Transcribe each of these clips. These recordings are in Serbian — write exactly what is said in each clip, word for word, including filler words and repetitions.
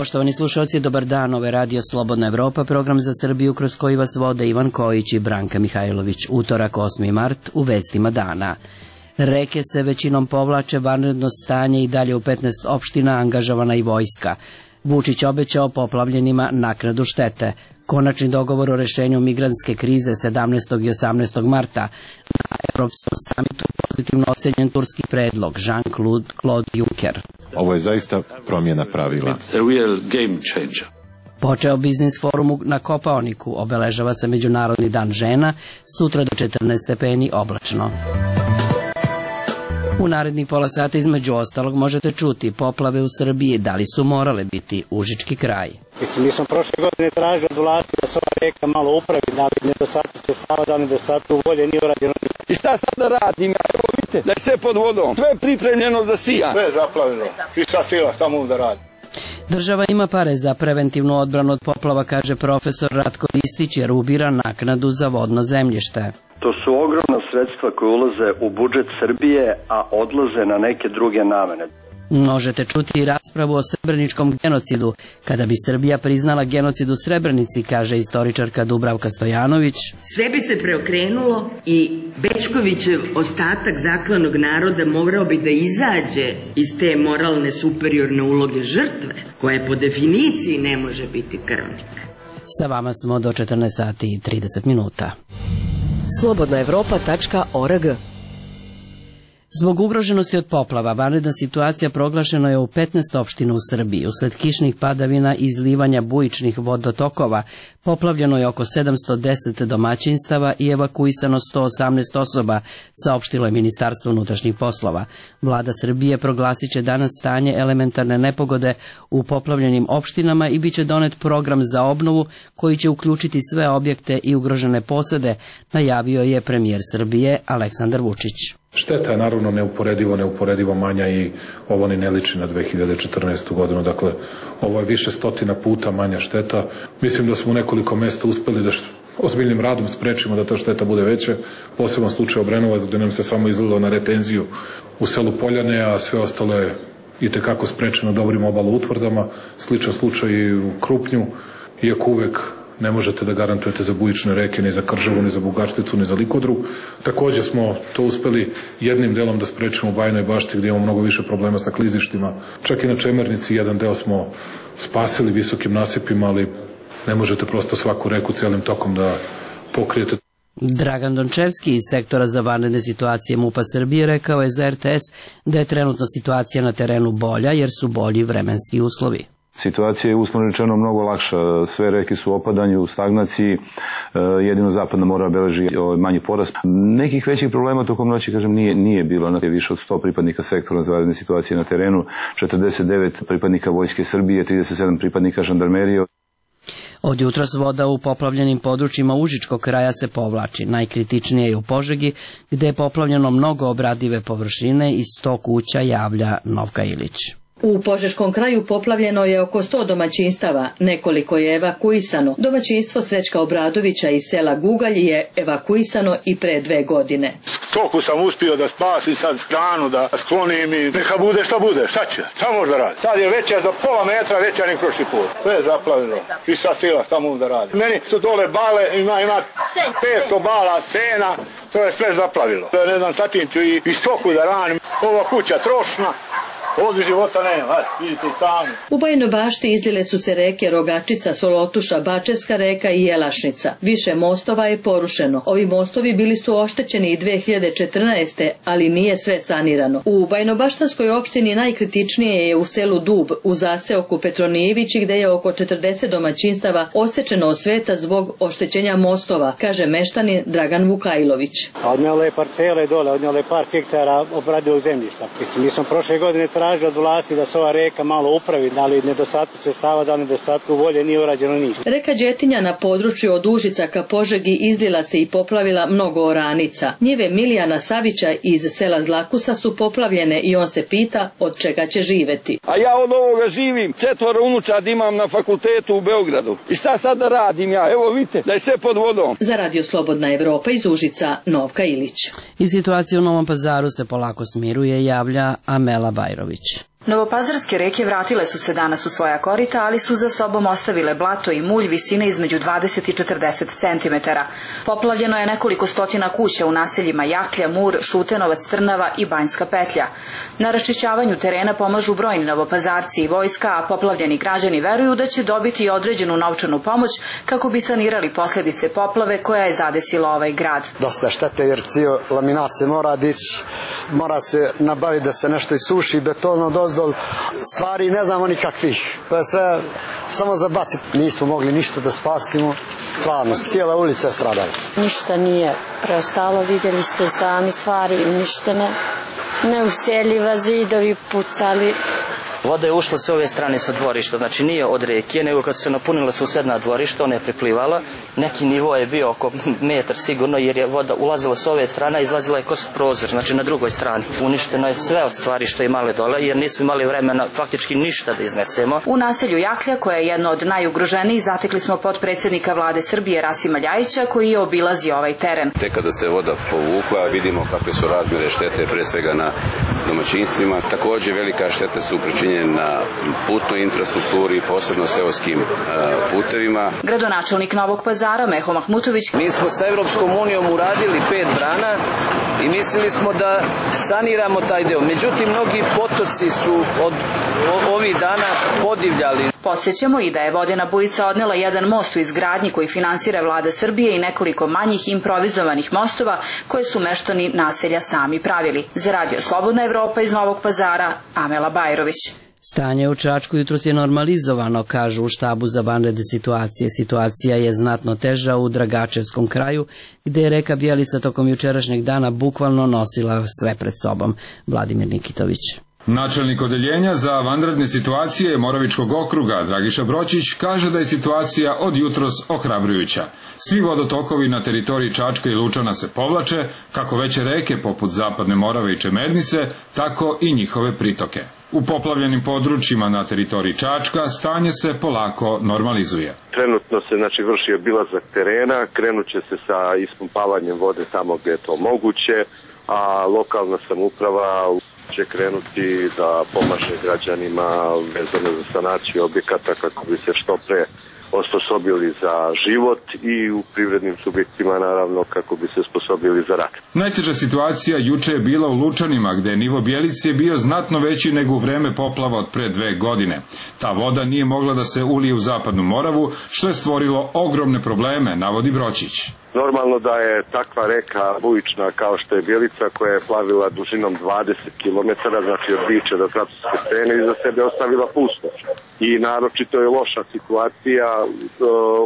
Poštovani slušalci, dobar dan, ovo je Radio Slobodna Evropa, program za Srbiju kroz koji vas vode Ivan Kojić i Branka Mihajlović. Utorak, osmi mart, u vestima dana. Reke se većinom povlače, vanredno stanje i dalje u petnaest opština, angažovana i vojska. Vučić obećao poplavljenima naknadu štete. Konačni dogovor o rešenju migrantske krize sedamnaestog i osamnaestog marta. Na Evropskom samitu pozitivno ocenjen turski predlog Jean-Claude Juncker. Ovo je zaista promjena pravila. Počeo biznis forum na Kopaoniku, obeležava se Međunarodni dan žena, sutra do četrnaest stepeni oblačno. U narednih pola sata između ostalog možete čuti poplave u Srbiji, da li su morale biti Užički kraj. Mislim, mi smo prošle godine tražili od vlasti da se ova reka malo upravi, da li nedostatku sredstava, da li nedostatku volje nije urađeno. I šta sad da radim? Evo vidite, da je sve pod vodom, sve je pripremljeno da sija. Sve je zaplavljeno, i šta sila, šta mogu da radi? Država ima pare za preventivnu odbranu od poplava, kaže profesor Ratko Ristić, jer ubira naknadu za vodno zemljište. To su ogromna sredstva koje ulaze u budžet Srbije, a odlaze na neke druge namene. Možete čuti i raspravu o srebreničkom genocidu. Kada bi Srbija priznala genocid u Srebrenici, kaže istoričarka Dubravka Stojanović, sve bi se preokrenulo i Bečkovićev ostatak zaklanog naroda morao bi da izađe iz te moralne superiorne uloge žrtve, koja po definiciji ne može biti krvnik. Sa vama smo do četrnaest sati i trideset minuta. slobodna evropa tačka org. Zbog ugroženosti od poplava, vanredna situacija proglašena je u petnaest opština u Srbiji. Usled kišnih padavina i izlivanja bujičnih vodotokova poplavljeno je oko sedamsto deset domaćinstava i evakuisano sto osamnaest osoba, saopštilo je Ministarstvo unutrašnjih poslova. Vlada Srbije proglasit će danas stanje elementarne nepogode u poplavljenim opštinama i bit će donet program za obnovu koji će uključiti sve objekte i ugrožene posede, najavio je premijer Srbije Aleksandar Vučić. Šteta je naravno neuporedivo, neuporedivo manja i ovo ni ne liči na dve hiljade četrnaestu. godinu. Dakle, ovo je više stotina puta manja šteta. Mislim da smo u nekoliko mesta uspeli da ozbiljnim radom sprečimo da ta šteta bude veća. Poseban slučaj Obrenovac, gde nam se samo izlilo na retenziju u selu Poljane, a sve ostalo je itekako sprečeno dobrim obalo utvrdama. Sličan slučaj i u Krupnju, iako uvek ne možete da garantujete za bujične reke, ni za Kržavu, ni za Bugačticu, ni za Likodru. Takođe smo to uspeli jednim delom da sprečimo u Bajinoj Bašti, gdje imamo mnogo više problema sa klizištima. Čak i na Čemernici jedan deo smo spasili visokim nasipima, ali ne možete prosto svaku reku celim tokom da pokrijete. Dragan Dončevski iz sektora za vanredne situacije MUP-a Srbije rekao je za R T S da je trenutno situacija na terenu bolja jer su bolji vremenski uslovi. Situacija je uslovno rečeno mnogo lakša, sve reke su u opadanju, u stagnaciji, jedino zapadna mora beleži manji porast. Nekih većih problema tokom noći, kažem, nije, nije bilo. Više od sto pripadnika sektora za vanredne situacije na terenu, četrdeset devet pripadnika Vojske Srbije, trideset sedam pripadnika žandarmerije. Od jutros voda u poplavljenim područjima Užičkog kraja se povlači. Najkritičnije je u Požegi, gde je poplavljeno mnogo obradive površine i sto kuća, javlja Novka Ilić. U Požeškom kraju poplavljeno je oko sto domaćinstava, nekoliko je evakuisano. Domaćinstvo Srećka Obradovića iz sela Gugalj je evakuisano i pre dve godine. Stoku sam uspio da spasim, sad hranu da sklonim i neka bude šta bude, šta će, šta može da radi. Sad je veća za pola metra, veća nek prošli put. Sve je zaplavljeno i šta sila, šta mogu da radi. Meni su dole bale, ima, ima petsto bala sena, to je sve zaplavilo. Ne znam, sad tim ću i, i stoku da ranim, ova kuća trošna. Ovdje života nema, vidite i sami. U Bajinoj Bašti izlile su se reke Rogačica, Solotuša, Bačevska reka i Jelašnica. Više mostova je porušeno. Ovi mostovi bili su oštećeni i dve hiljade četrnaeste. ali nije sve sanirano. U Bajinobaštanskoj opštini najkritičnije je u selu Dub, u zaseoku Petronijevići, gde je oko četrdeset domaćinstava osečeno od sveta zbog oštećenja mostova, kaže meštanin Dragan Vukajlović. Odnjelo je parcele dole, odnjelo je par hektara obradivog zemljišta. Mislim, mi smo prošle godine tražili od vlasti da se ova reka malo upravi, da li nedostatku sredstava, da li nedostatku volje nije urađeno ništa. Reka Đetinja na području od Užica ka Požegi izlila se i poplavila mnogo oranica. Njive Milijana Savića iz sela Zlakusa su poplavljene i on se pita od čega će živeti. A ja od ovoga živim, četvoro unučad imam na fakultetu u Beogradu. I šta sad da radim ja? Evo vidite, da je sve pod vodom. Za Radio Slobodna Evropa iz Užica, Novka Ilić. I situacija u Novom Pazaru se polako smiruje, javlja Amela Bajrović. Novopazarske reke vratile su se danas u svoja korita, ali su za sobom ostavile blato i mulj visine između dvadeset i četrdeset centimetara. Poplavljeno je nekoliko stotina kuća u naseljima Jaklja, Mur, Šutenovac, Trnava i Banjska petlja. Na raščišćavanju terena pomažu brojni novopazarci i vojska, a poplavljeni građani veruju da će dobiti i određenu novčanu pomoć kako bi sanirali posljedice poplave koja je zadesila ovaj grad. Dosta štete jer cijel laminat se mora dići, mora se nabaviti da se nešto isuši, betono dozdo, stvari ne znamo nikakvih. To je sve samo za baciti. Nismo mogli ništa da spasimo. Stvarno, cijela ulica je stradala. Ništa nije preostalo, vidjeli ste sami, stvari uništene. Neuseljiva, zidovi pucali. Voda je ušla s ove strane sa dvorišta, znači nije od reke, nego kad se napunila susedna dvorišta, ona je preplivala. Neki nivo je bio oko metar sigurno, jer je voda ulazila s ove strane, izlazila je kroz prozor, znači na drugoj strani. Uništeno je sve od stvari što je imale dole, jer nismo imali vremena faktički ništa da iznesemo. U naselju Jaklja, koje je jedno od najugroženijih, zatekli smo potpredsjednika vlade Srbije Rasima Ljajića, koji je obilazio ovaj teren. Tek kada se voda povukla, vidimo kakve su razmjere štete, pre svega na domaćinstvima. Također velika štete su pričinjene na putnoj infrastrukturi, posebno seoskim putevima. Gradonačelnik Novog Pazara Meho Mahmutović: Mi smo sa Evropskom unijom uradili pet brana i mislili smo da saniramo taj deo. Međutim, mnogi potoci su od ovih dana podivljali. Podsjećamo i da je vodena bujica odnela jedan most u izgradnji koji finansira vlada Srbije i nekoliko manjih improvizovanih mostova koje su meštani naselja sami pravili. Za Radio Slobodna Evropa iz Novog Pazara, Amela Bajrović. Stanje u Čačku jutros je normalizovano, kažu u štabu za vanredne situacije. Situacija je znatno teža u Dragačevskom kraju, gde je reka Bjelica tokom jučerašnjeg dana bukvalno nosila sve pred sobom. Vladimir Nikitović. Načelnik odeljenja za vanredne situacije Moravičkog okruga Dragiša Bročić kaže da je situacija od jutros ohrabrujuća. Svi vodotokovi na teritoriji Čačka i Lučana se povlače, kako veće reke poput Zapadne Morave i Čemernice, tako i njihove pritoke. U poplavljenim područjima na teritoriji Čačka stanje se polako normalizuje. Trenutno se znači vrši obilazak terena, krenut će se sa ispumpavanjem vode tamo gdje je to moguće, a lokalna samouprava će krenuti da pomaže građanima vezano za sanaciju objekata kako bi se što pre osposobili za život i u privrednim subjektima naravno kako bi se osposobili za rad. Najteža situacija juče je bila u Lučanima, gde je nivo Bjelice bio znatno veći nego u vreme poplava od pre dve godine. Ta voda nije mogla da se ulije u Zapadnu Moravu, što je stvorilo ogromne probleme, navodi Bročić. Normalno da je takva reka bujična kao što je Bjelica, koja je plavila dužinom dvadeset kilometara, znači od Biča do Kratovske Stene, i za sebe ostavila pustoš. I naročito je loša situacija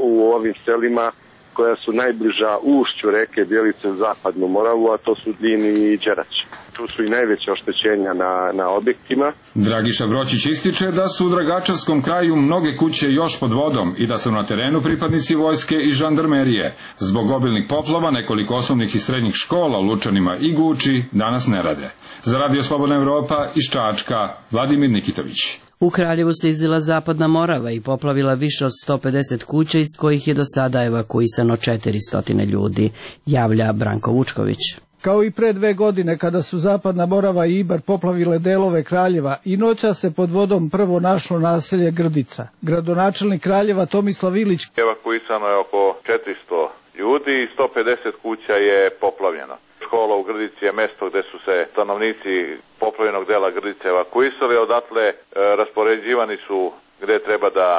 u ovim selima koja su najbliža ušću reke Bjelice u Zapadnu Moravu, a to su Din i Đerać. Tu su i najveće oštećenja na, na objektima. Dragiša Bročić ističe da su u Dragačevskom kraju mnoge kuće još pod vodom i da su na terenu pripadnici vojske i žandarmerije. Zbog obilnih poplava nekoliko osnovnih i srednjih škola u Lučanima i Guči danas ne rade. Za Radio Slobodna Evropa iz Čačka, Vladimir Nikitović. U Kraljevu se izlila Zapadna Morava i poplavila više od sto pedeset kuća, iz kojih je do sada evakuisano četiristo ljudi, javlja Branko Vučković. Kao i pre dve godine kada su Zapadna Morava i Ibar poplavile delove Kraljeva, i noća se pod vodom prvo našlo naselje Grdica. Gradonačelnik Kraljeva Tomislav Ilić: Evakuisano je oko četiristo ljudi i sto pedeset kuća je poplavljeno. Škola u Grdici je mesto gde su se stanovnici poplavljenog dela Grdice evakuisali, odatle e, raspoređivani su gde treba da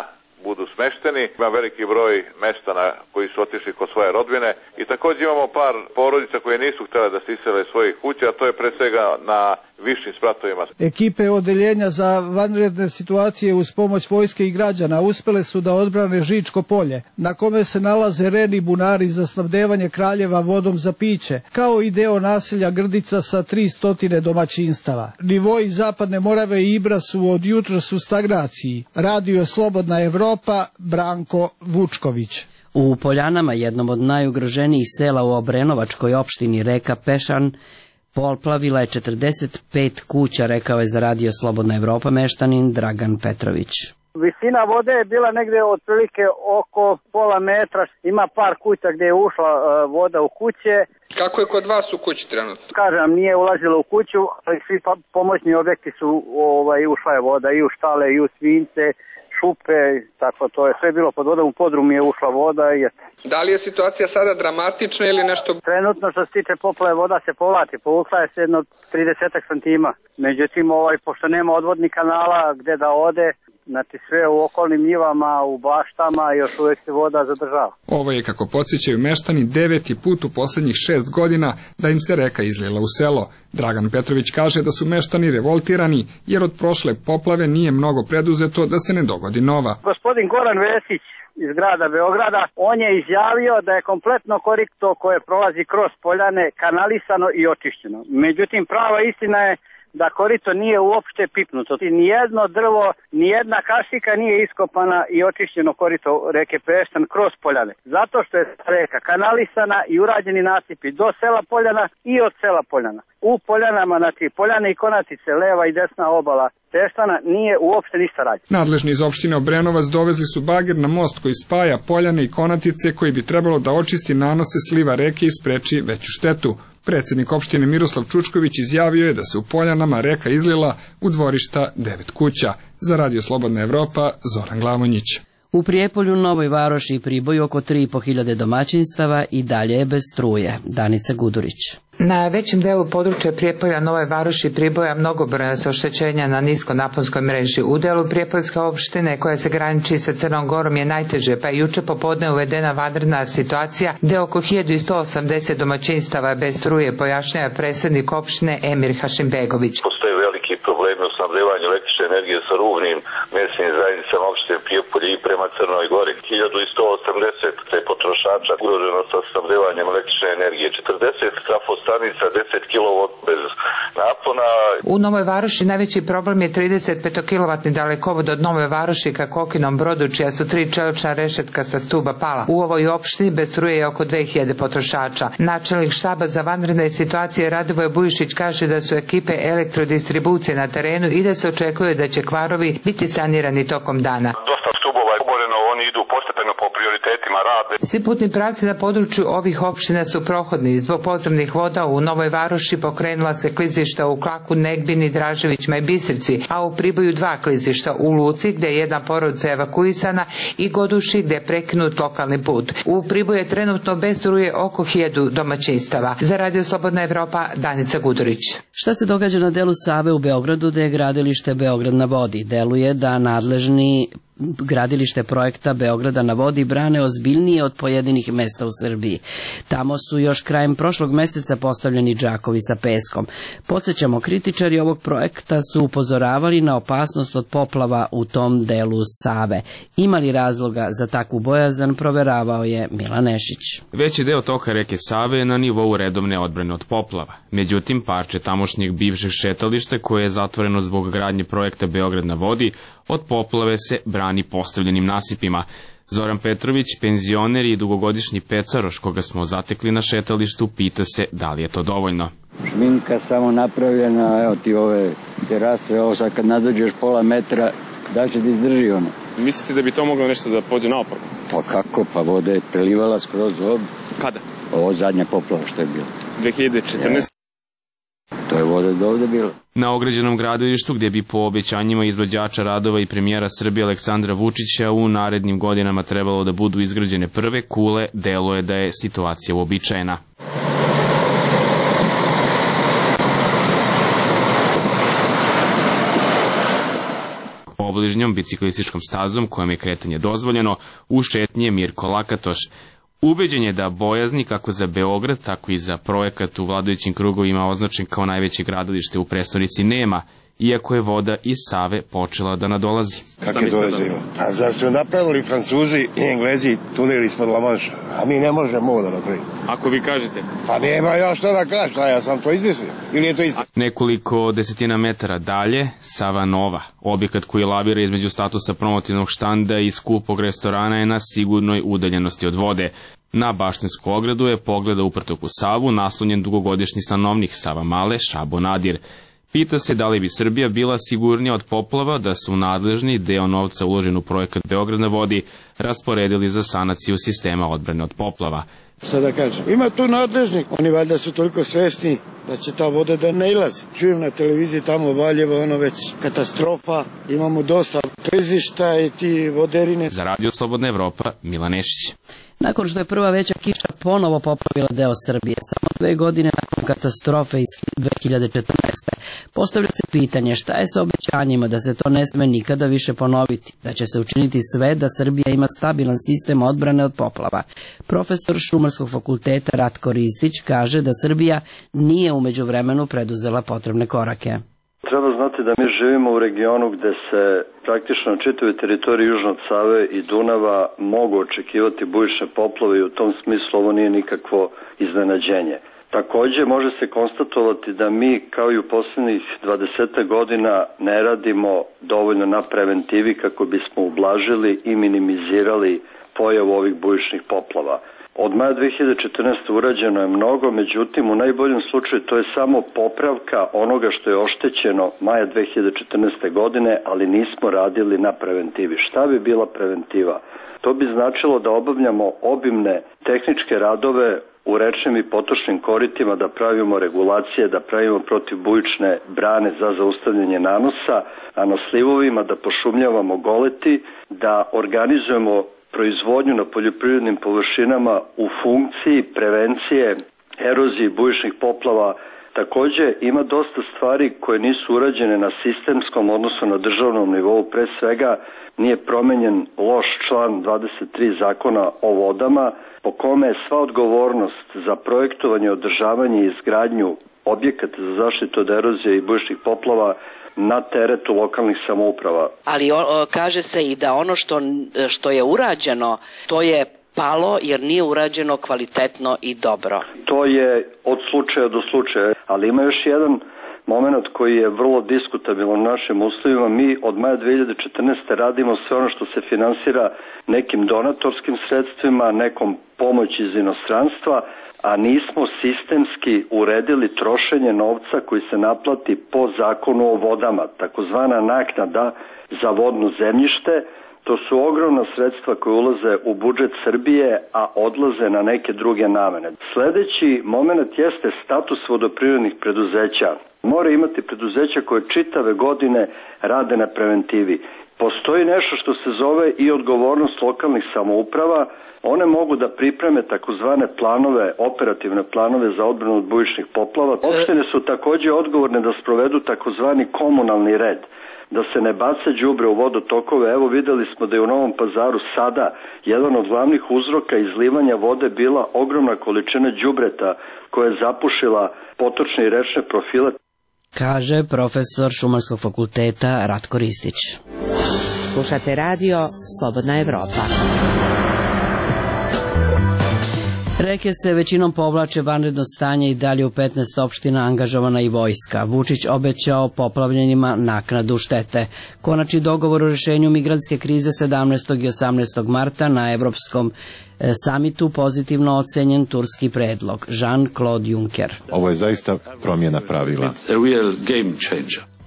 budu smešteni. Ima veliki broj mesta na koji su otišli kod svoje rodbine i također imamo par porodica koje nisu htjele da se isele svojih kuća, a to je pre svega na višim spratovima. Ekipe odeljenja za vanredne situacije uz pomoć vojske i građana uspele su da odbrane Žičko polje, na kome se nalaze reni bunari za snabdevanje Kraljeva vodom za piće, kao i deo naselja Grdica sa tristo domaćinstava. Nivoi Zapadne Morave i Ibra su od jutros u stagnaciji. Radio Slobodna Evropa, Branko Vučković. U Poljanama, jednom od najugroženijih sela u Obrenovačkoj opštini, reka Pešan poplavila je četrdeset pet kuća, rekao je za Radio Slobodna Evropa meštanin Dragan Petrović. Visina vode je bila negdje otprilike oko pola metra. Ima par kuća gdje je ušla uh, voda u kuće. Kako je kod vas u kući trenutno? Kažem, nije ulazila u kuću, ali svi pa, pomoćni objekti su, ovaj, ušla je voda i u štale i u svinjce, šupe, tako to je sve bilo pod vodom, u podrum je ušla voda i eto. Da li je situacija sada dramatična ili nešto? Trenutno što se tiče poplave voda se povlači, povukla je se jedno trideset santima. Međutim, ovaj, pošto nema odvodnih kanala gdje da ode, znači sve u okolnim njivama, u baštama još uvijek se voda zadržava. Ovo je, kako podsjećaju meštani, deveti put u posljednjih šest godina da im se reka izlila u selo. Dragan Petrović kaže da su meštani revoltirani jer od prošle poplave nije mnogo preduzeto da se ne dogodi nova. Gospodin Goran Vesić iz grada Beograda, on je izjavio da je kompletno korito koje prolazi kroz poljane kanalisano i očišćeno. Međutim, prava istina je da korito nije uopšte pipnuto. Nijedno drvo, nijedna kašika nije iskopana i očišćeno korito reke Peštan kroz poljane. Zato što je reka kanalisana i urađeni nasipi do sela Poljana i od sela Poljana. U Poljanama, znači Poljane i Konacice, leva i desna obala Peštana, nije uopšte ništa rađeno. Nadležni iz opštine Obrenovac dovezli su bager na most koji spaja Poljane i Konatice, koji bi trebalo da očisti nanose sliva reke i spreči veću štetu. Predsjednik opštine Miroslav Čučković izjavio je da se u Poljanama reka izlila u dvorišta devet kuća. Za Radio Slobodna Evropa, Zoran Glavonjić. U Prijepolju, Novoj Varoši i Priboju oko tri i po hiljade domaćinstava i dalje je bez struje. Danica Gudurić. Na većem delu područja Prijepolja, Nove Varoši i Priboja mnogobrojna su oštećenja na niskonaponskoj mreži. U delu Prijepoljske opštine koja se graniči sa Crnom Gorom je najteže, pa je juče popodne uvedena vanredna situacija gde oko hiljadu sto osamdeset domaćinstava je bez struje, pojašnjava predsjednik opštine Emir Hašimbegović. Postoje veliki problemi u snabdevanju električne energije sa rubnim mesnim zajednicama opštine Prijepolje i prema Crnoj Gori. hiljadu sto osamdeset potrošača ugroženo sa snabdevanjem električne energije. četrdeset trafostanica, deset kilovolta bez napona. U Novoj Varoši najveći problem je trideset petokilovatni dalekovod od Nove Varoši ka Kokinom Brodu, čija su tri čelična rešetka sa stuba pala. U ovoj opštini bez struje je oko dve hiljade potrošača. Načelnik štaba za vanredne situacije Radivoje Bujišić kaže da su ekipe elektrodistribucije na terenu i da se očekuje da će kvarovi biti sanirani tokom dana. Dosta stubova je oboreno, oni idu postepeno po prioritetima rade. Svi putni pravci na području ovih opština su prohodni. Zbog podzemnih voda u Novoj Varoši pokrenula se klizišta u Klaku, Negbini, Draževićima i Biserci, a u Priboju dva klizišta, u Luci gde je jedna porodica evakuisana i Goduši gde je prekinut lokalni put. U Priboju je trenutno bez struje oko hiljadu domaćinstava. Za Radio Slobodna Evropa, Danica Gudurić. Šta se događa na delu Save u Beogradu, gde je gradilište Beograd na vodi? Deluje da nadležni gradilište projekta Beograda na vodi brane ozbiljnije od pojedinih mesta u Srbiji. Tamo su još krajem prošlog meseca postavljeni džakovi sa peskom. Podsjećamo, kritičari ovog projekta su upozoravali na opasnost od poplava u tom delu Save. Imali razloga za takvu bojazan, proveravao je Milan Nešić. Veći deo toka reke Save je na nivou redovne odbrane od poplava. Međutim, parče tamošnjeg bivšeg šetališta, koje je zatvoreno zbog gradnje projekta Beograd na vodi, od poplave se brani postavljenim nasipima. Zoran Petrović, penzioner i dugogodišnji pecaroš koga smo zatekli na šetalištu, pita se da li je to dovoljno. Šminka samo napravljena, evo ti ove terase, ovo sad kad nadođeš pola metra, da će da izdrži ono. Mislite da bi to moglo nešto da pođe naopako? Pa kako, pa voda je prelivala skroz ovdje. Kada? Ovo zadnja poplava što je bilo. dve hiljade četrnaeste. To je voda do ovde bilo. Na ograđenom gradilištu, gdje bi po obećanjima izvođača radova i premijera Srbije Aleksandra Vučića u narednim godinama trebalo da budu izgrađene prve kule, deluje da je situacija uobičajena. Obližnjom biciklističkom stazom, kojom je kretanje dozvoljeno, u šetnji je Mirko Lakatoš. Ubeđen je da bojazni kako za Beograd, tako i za projekat u vladajućim krugovima označen kao najveće gradilište u prestonici nema, iako je voda iz Save počela da nadolazi. Kako je dolazi? A zar su napravili Francuzi i Englezi tunel ispod La Manša, a mi ne možemo ovo da napravimo. Ako vi kažete? Pa nema ja što da kažem, ja sam to izmislio, ili je to isto? Nekoliko desetina metara dalje, Sava Nova, objekat koji lavira između statusa promotivnog štanda i skupog restorana, je na sigurnoj udaljenosti od vode. Na baštinsku ogradu je pogleda uprtok u Savu naslonjen dugogodišnji stanovnik Sava Male, Šabo Nadir. Pita se da li bi Srbija bila sigurnija od poplava da su nadležni deo novca uložen u projekat Beograd na vodi rasporedili za sanaciju sistema odbrane od poplava. Šta da kažem? Ima tu nadležnik. Oni valjda su toliko svesni da će ta voda da ne ilazi. Čujem na televiziji tamo Valjevo, ono već katastrofa. Imamo dosta klizišta i ti voderine. Za Radio Slobodna Evropa, Milan Nešić. Nakon što je prva veća kiša ponovo poplavila deo Srbije, samo dve godine nakon katastrofe iz dve hiljade četrnaeste. Postavlja se pitanje šta je sa obećanjima da se to ne sme nikada više ponoviti, da će se učiniti sve da Srbija ima stabilan sistem odbrane od poplava. Profesor Šumarskog fakulteta Ratko Ristić kaže da Srbija nije u međuvremenu preduzela potrebne korake. Treba znati da mi živimo u regionu gde se praktično na čitavoj teritoriji južno od Save i Dunava mogu očekivati bujične poplave i u tom smislu ovo nije nikakvo iznenađenje. Takođe može se konstatovati da mi kao i u poslednjih dvadeset godina ne radimo dovoljno na preventivi kako bismo ublažili i minimizirali pojavu ovih bujičnih poplava. Od maja dve hiljade četrnaeste. urađeno je mnogo, međutim u najboljem slučaju to je samo popravka onoga što je oštećeno maja dve hiljade četrnaeste. godine, ali nismo radili na preventivi. Šta bi bila preventiva? To bi značilo da obavljamo obimne tehničke radove u rečnim i potočnim koritima, da pravimo regulacije, da pravimo protivbujične brane za zaustavljanje nanosa, a na slivovima da pošumljavamo goleti, da organizujemo proizvodnju na poljoprivrednim površinama u funkciji prevencije erozije bujičnih poplava. Takođe ima dosta stvari koje nisu urađene na sistemskom, odnosno na državnom nivou. Pre svega nije promenjen loš član dvadeset tri Zakona o vodama, po kome je sva odgovornost za projektovanje, održavanje i izgradnju objekata za zaštitu od erozije i bujičnih poplava na teretu lokalnih samouprava. Ali o, kaže se i da ono što, što je urađeno, to je palo jer nije urađeno kvalitetno i dobro. To je od slučaja do slučaja, ali ima još jedan moment koji je vrlo diskutabilan u našim uslovima. Mi od maja dve hiljade četrnaeste. radimo sve ono što se finansira nekim donatorskim sredstvima, nekom pomoći iz inostranstva, a nismo sistemski uredili trošenje novca koji se naplati po zakonu o vodama, takozvana naknada za vodno zemljište. To su ogromna sredstva koje ulaze u budžet Srbije, a odlaze na neke druge namene. Sledeći moment jeste status vodoprivrednih preduzeća. Mora imati preduzeća koje čitave godine rade na preventivi. Postoji nešto što se zove i odgovornost lokalnih samouprava. One mogu da pripreme takozvane planove, operativne planove za odbranu od bujičnih poplava. Opštine su takođe odgovorne da sprovedu takozvani komunalni red, da se ne baca đubre u vodotokove. Evo videli smo da je u Novom Pazaru sada jedan od glavnih uzroka izlivanja vode bila ogromna količina đubreta koja je zapušila potočne i rečne profile. Kaže profesor Šumarskog fakulteta Ratko Ristić. Slušate radio Slobodna Evropa. Reke se većinom povlače, vanredno stanje i dalje u petnaest opština, angažovana i vojska. Vučić obećao poplavljenima naknadu štete. Konačni dogovor o rešenju migrantske krize sedamnaestog i osamnaestog marta na Evropskom samitu pozitivno ocenjen turski predlog. Jean-Claude Juncker. Ovo je zaista promjena pravila.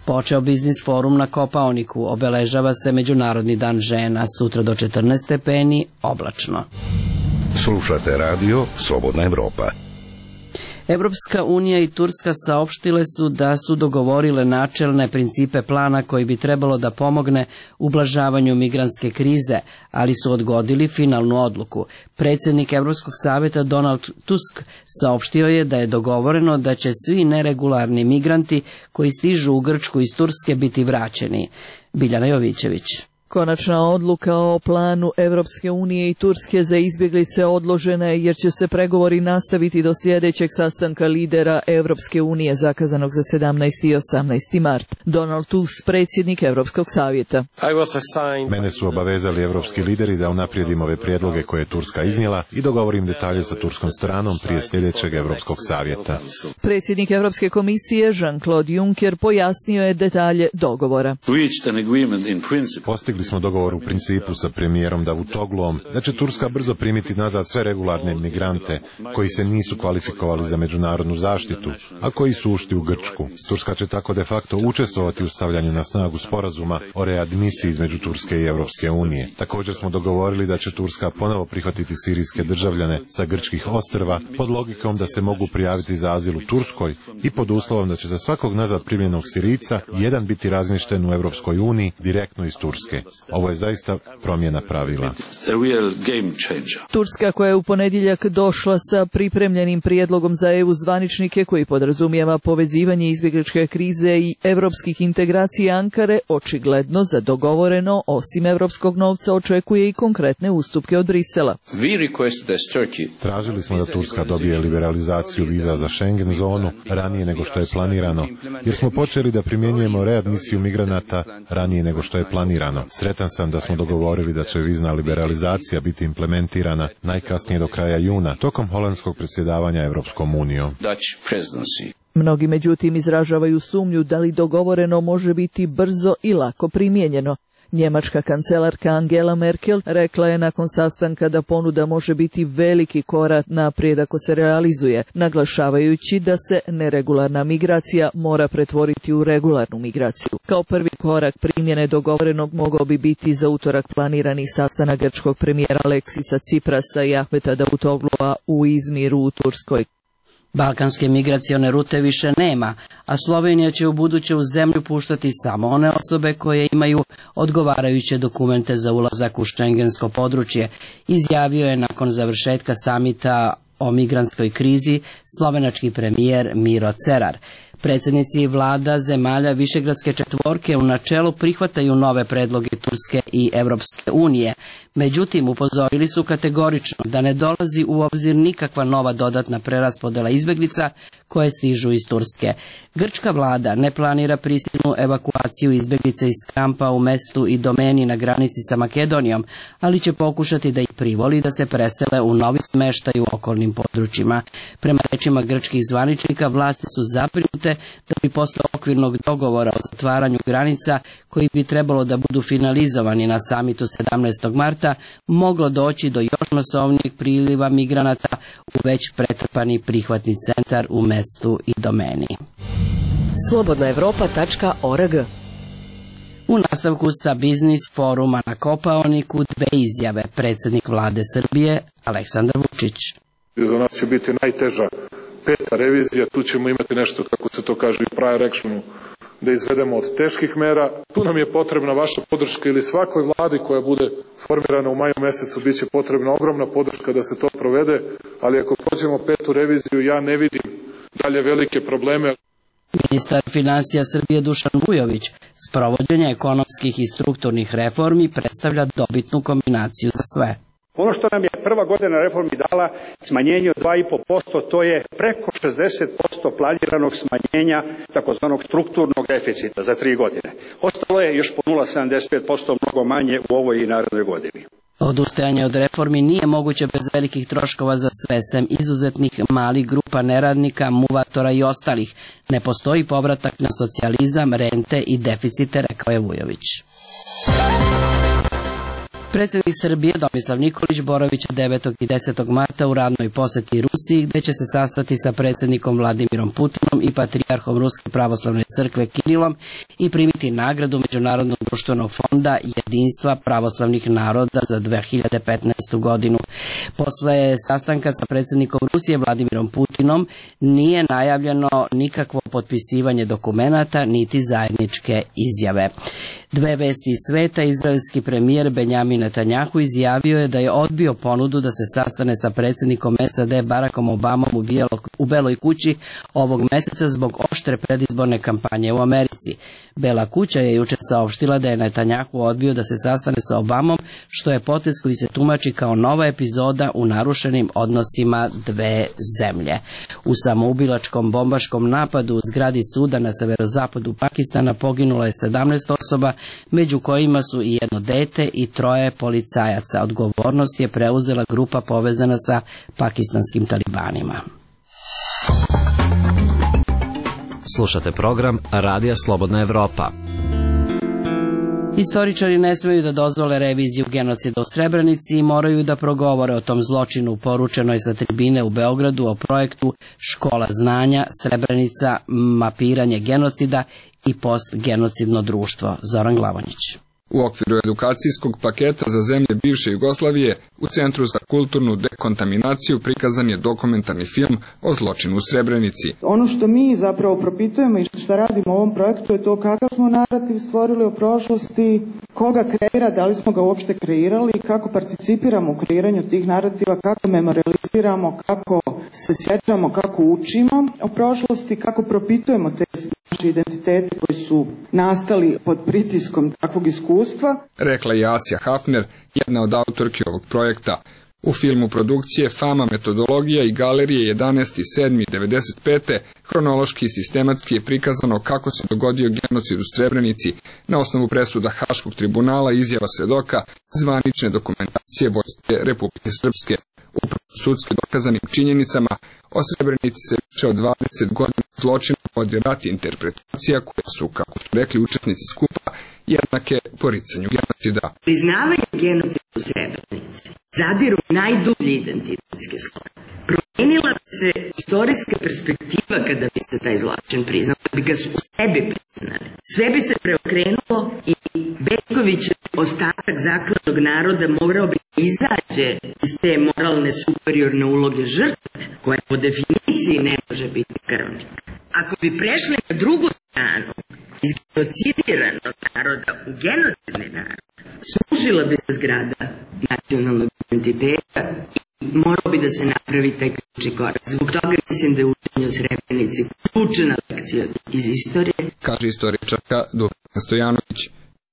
Počeo biznis forum na Kopaoniku, obeležava se Međunarodni dan žena, sutra do četrnaest stepeni, oblačno. Slušate radio Slobodna Evropa. Evropska unija i Turska saopštile su da su dogovorile načelne principe plana koji bi trebalo da pomogne ublažavanju migrantske krize, ali su odgodili finalnu odluku. Predsjednik Evropskog savjeta Donald Tusk saopštio je da je dogovoreno da će svi neregularni migranti koji stižu u Grčku iz Turske biti vraćeni. Biljana Jovićević. Konačna odluka o planu Evropske unije i Turske za izbjeglice odložena je jer će se pregovori nastaviti do sljedećeg sastanka lidera Evropske unije zakazanog za sedamnaesti i osamnaesti mart. Donald Tusk, predsjednik Evropskog savjeta. Mene su obavezali evropski lideri da unaprijedim ove prijedloge koje je Turska iznijela i dogovorim detalje sa turskom stranom prije sljedećeg Evropskog savjeta. Predsjednik Evropske komisije Jean-Claude Juncker pojasnio je detalje dogovora. Postigli postigli smo dogovor u principu sa premijerom Davutogluom da će Turska brzo primiti nazad sve regularne migrante koji se nisu kvalifikovali za međunarodnu zaštitu, a koji su ušli u Grčku. Turska će tako de facto učestvovati u stavljanju na snagu sporazuma o readmisiji između Turske i Europske unije. Također smo dogovorili da će Turska ponovo prihvatiti sirijske državljane sa grčkih ostrva pod logikom da se mogu prijaviti za azil u Turskoj i pod uslovom da će za svakog nazad primljenog Sirijca jedan biti razmješten u Europskoj uniji direktno iz Turske. Ovo je zaista promjena pravila. Turska, koja je u ponedjeljak došla sa pripremljenim prijedlogom za E U zvaničnike koji podrazumijeva povezivanje izbjegličke krize i europskih integracija Ankare, očigledno za dogovoreno, osim europskog novca, očekuje i konkretne ustupke od Brisela. Tražili smo da Turska dobije liberalizaciju viza za Schengen zonu ranije nego što je planirano, jer smo počeli da primjenjujemo readmisiju migranata ranije nego što je planirano. Sretan sam da smo dogovorili da će vizna liberalizacija biti implementirana najkasnije do kraja juna, tokom holandskog predsjedavanja Europskom unijom. Mnogi međutim izražavaju sumnju da li dogovoreno može biti brzo i lako primijenjeno. Njemačka kancelarka Angela Merkel rekla je nakon sastanka da ponuda može biti veliki korak naprijed ako se realizuje, naglašavajući da se neregularna migracija mora pretvoriti u regularnu migraciju. Kao prvi korak primjene dogovorenog mogao bi biti za utorak planirani sastanak grčkog premijera Aleksisa Ciprasa i Ahmeta Davutoglua u Izmiru u Turskoj. Balkanske migracione rute više nema, a Slovenija će u buduće u zemlju puštati samo one osobe koje imaju odgovarajuće dokumente za ulazak u šengensko područje, izjavio je nakon završetka samita o migrantskoj krizi slovenački premijer Miro Cerar. Predsjednici vlada zemalja Višegradske četvorke u načelu prihvataju nove predloge Turske i Europske unije, međutim upozorili su kategorično da ne dolazi u obzir nikakva nova dodatna preraspodjela izbjeglica koje stižu iz Turske. Grčka vlada ne planira prisilnu evakuaciju izbjeglica iz kampa u mestu i domeni na granici sa Makedonijom, ali će pokušati da ih privoli da se presele u novi smještaj u okolnim područjima. Prema rečima grčkih zvaničnika, vlasti su zabrinute da bi posle okvirnog dogovora o zatvaranju granica, koji bi trebalo da budu finalizovani na samitu sedamnaestog marta, moglo doći do još masovnijeg priliva migranata u već pretrpani prihvatni centar u mestu i domeni. slobodna evropa tačka org. U nastavku sta biznis foruma na Kopaoniku dve izjave. Predsjednik vlade Srbije Aleksandar Vučić. Za nas će biti najteža peta revizija, tu ćemo imati nešto, kako se to kaže u prior actionu, da izvedemo od teških mera. Tu nam je potrebna vaša podrška ili svakoj vladi koja bude formirana u maju mesecu, bit će potrebna ogromna podrška da se to provede, ali ako prođemo petu reviziju, ja ne vidim dalje velike probleme. Ministar financija Srbije Dušan Vujović sprovođenje ekonomskih i strukturnih reformi predstavlja dobitnu kombinaciju za sve. Ono što nam je prva godina reformi dala smanjenje od dva i po posto, to je preko šezdeset posto planiranog smanjenja takozvanog strukturnog deficita za tri godine. Ostalo je još po nula zarez sedamdeset pet posto mnogo manje u ovoj i narednoj godini. Odustajanje od reformi nije moguće bez velikih troškova za sve, sem izuzetnih malih grupa neradnika, muvatora i ostalih. Ne postoji povratak na socijalizam, rente i deficite, rekao je Vujović. Predsjednik Srbije Tomislav Nikolić boravit će devetog i desetog marta u radnoj posjeti Rusiji, gdje će se sastati sa predsjednikom Vladimirom Putinom i patrijarhom Ruske pravoslavne crkve Kirilom i primiti nagradu Međunarodnog društvenog fonda jedinstva pravoslavnih naroda za dve hiljade petnaestu godinu. Posle sastanka sa predsjednikom Rusije Vladimirom Putinom nije najavljeno nikakvo potpisivanje dokumenata niti zajedničke izjave. Dve vesti iz sveta, izraelski premijer Benjamin Netanjahu izjavio je da je odbio ponudu da se sastane sa predsjednikom S A D Barackom Obamom u, bijelo, u Beloj kući ovog mjeseca zbog oštre predizborne kampanje u Americi. Bela kuća je jučer saopštila da je Netanjahu odbio da se sastane sa Obamom, što je potez koji se tumači kao nova epizoda u narušenim odnosima dve zemlje. U samoubilačkom bombaškom napadu u zgradi suda na severozapadu Pakistana poginulo je sedamnaest osoba, među kojima su i jedno dete i troje policajaca. Odgovornost je preuzela grupa povezana sa pakistanskim talibanima. Slušate program Radija Slobodna Evropa. Istoričari ne smeju da dozvole reviziju genocida u Srebrenici i moraju da progovore o tom zločinu, poručeno je sa tribine u Beogradu o projektu Škola znanja, Srebrenica, mapiranje genocida i postgenocidno društvo. Zoran Glavonjić. U okviru edukacijskog paketa za zemlje bivše Jugoslavije u Centru za kulturnu dekontaminaciju prikazan je dokumentarni film o zločinu u Srebrenici. Ono što mi zapravo propitujemo i što radimo u ovom projektu je to kakav smo narativ stvorili o prošlosti, koga kreira, da li smo ga uopšte kreirali, kako participiramo u kreiranju tih narativa, kako memorializiramo, kako se sjećamo, kako učimo o prošlosti, kako propitujemo te naše identitete koji su nastali pod pritiskom takvog iskustva. Rekla je Asja Hafner, jedna od autorki ovog projekta. U filmu produkcije Fama metodologija i galerije jedanaesti sedmi devedeset pete hronološki i sistematski je prikazano kako se dogodio genocid u Srebrenici na osnovu presuda Haškog tribunala, izjava svedoka, zvanične dokumentacije Vojske Republike Srpske. Upravo sudski dokazanim činjenicama o Srebrenici se više od dvadeset godina zločina vodi rat i interpretacija koje su, kako su rekli učesnici skupa, jednake poricanju genocida. Priznavanje genocida u Srebrenici zadiru najdublji identitetski sloj. Promenila bi se istorijska perspektiva kada bi se taj zločin priznao, da bi ga su u sebi priznali. Sve bi se preokrenulo i Bećkovićev ostatak zaklanog naroda morao bi izađe iz te moralne superiorne uloge žrtve, koja po definiciji ne može biti krvnik. Ako bi prešli na drugu stranu, iz genocidiranog naroda u genocidni narod, srušila bi se zgrada nacionalnog identiteta i morao bi da se napravi taj ključni korak. Zbog toga mislim da je učenje o Srebrenici ključna lekcija iz istorije. Kaže istoričarka Dubravka Stojanović.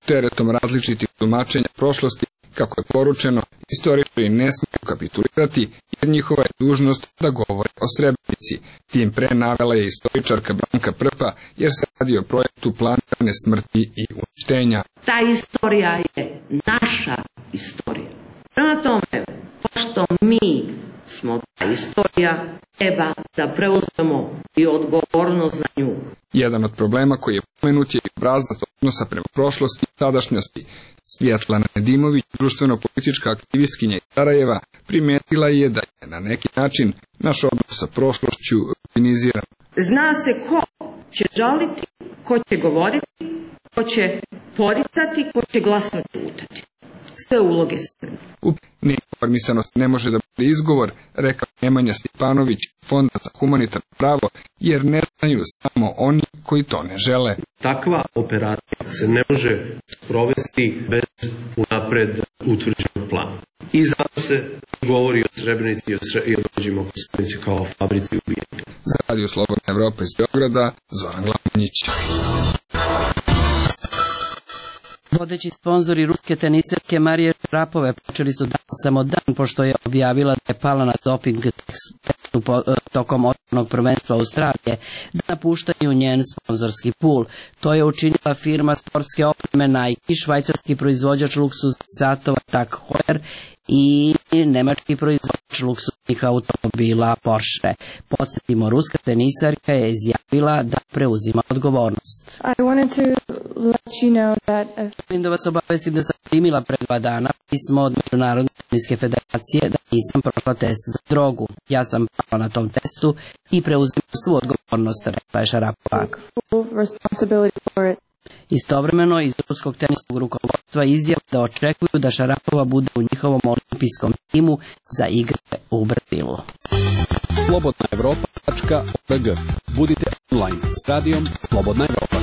Teretom različitih tumačenja prošlosti, kako je poručeno, istoričari ne smiju kapitulirati, jer njihova je dužnost da govore o Srebrenici. Tim pre navela je istoričarka Branka Prpa, jer se radi o projektu planirane smrti i uništenja. Ta istorija je naša istorija. Prema tome, pošto mi smo ta istorija, treba da preuzmemo i odgovornost za nju. Jedan od problema koji je pomenut je i obrazac odnosa prema prošlosti i sadašnjosti. Svjetlana Nedimović, društveno-politička aktivistkinja iz Sarajeva, primetila je da je na neki način naš odnos sa prošlošću rutiniziran. Zna se ko će žaliti, ko će govoriti, ko će poricati, ko će glasno čutati. Sve uloge Srbije. Neinformisanost ne može da bude izgovor, rekao Nemanja Stipanović, Fonda za humanitarno pravo, jer ne znaju samo oni koji to ne žele. Takva operacija se ne može sprovesti bez unapred utvrđenog plana. I zato se govori o Srebrenici i o dođima oko Srebrenici kao fabrici ubijenja. Za Radio Slobodna Evropa iz Beograda, Zoran Glavonjić. Vodeći sponzori ruske teniserke Marije Šarapove počeli su danas samo dan pošto je objavila da je pala na doping testu tokom otvorenog prvenstva Australije, da napuštaju njen sponzorski pul. To je učinila firma sportske opreme Nike, švajcarski proizvođač luksuznih satova Tag Heuer i nemački proizvođač luksuznih automobila Porsche. Podsjetimo, ruska tenisarka je izjavila da preuzima odgovornost. I wanted to let you know that Želim da vas obavestim da sam primila pre dva dana pismo od Međunarodne teniske federacije da nisam prošla test za drogu. Ja sam pala na tom testu i preuzimam svu odgovornost, rekla je Šarapova. Istovremeno iz ruskog teniskog rukovodstva izjava da očekuju da Šarapova bude u njihovom olimpijskom timu za igre u Brazilu. slobodna evropa tačka org. Budite online s radijom Slobodna Evropa.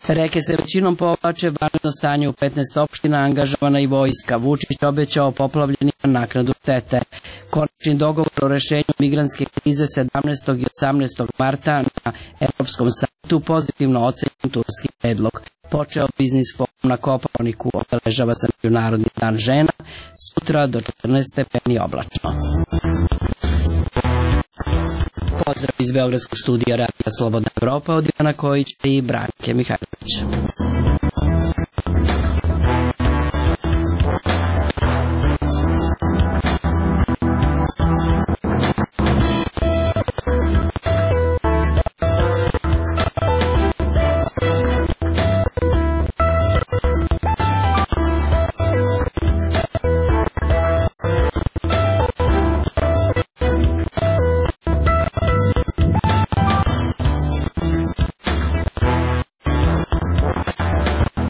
Reke se većinom povlače, vanredno stanje u petnaest opština, angažovana i vojska. Vučić obećao poplavljenima naknadu štete. Konačni dogovor o rešenju migrantske krize sedamnaestog i osamnaestog marta na Evropskom samitu pozitivno ocenjen turski predlog. Počeo biznis forum na Kopaoniku, obeležava se Međunarodni dan žena, sutra do četrnaest stepeni oblačno. Pozdrav iz Beogradskog studija Radija Slobodna Evropa od Ivana Kojića i Branke Mihajlovića.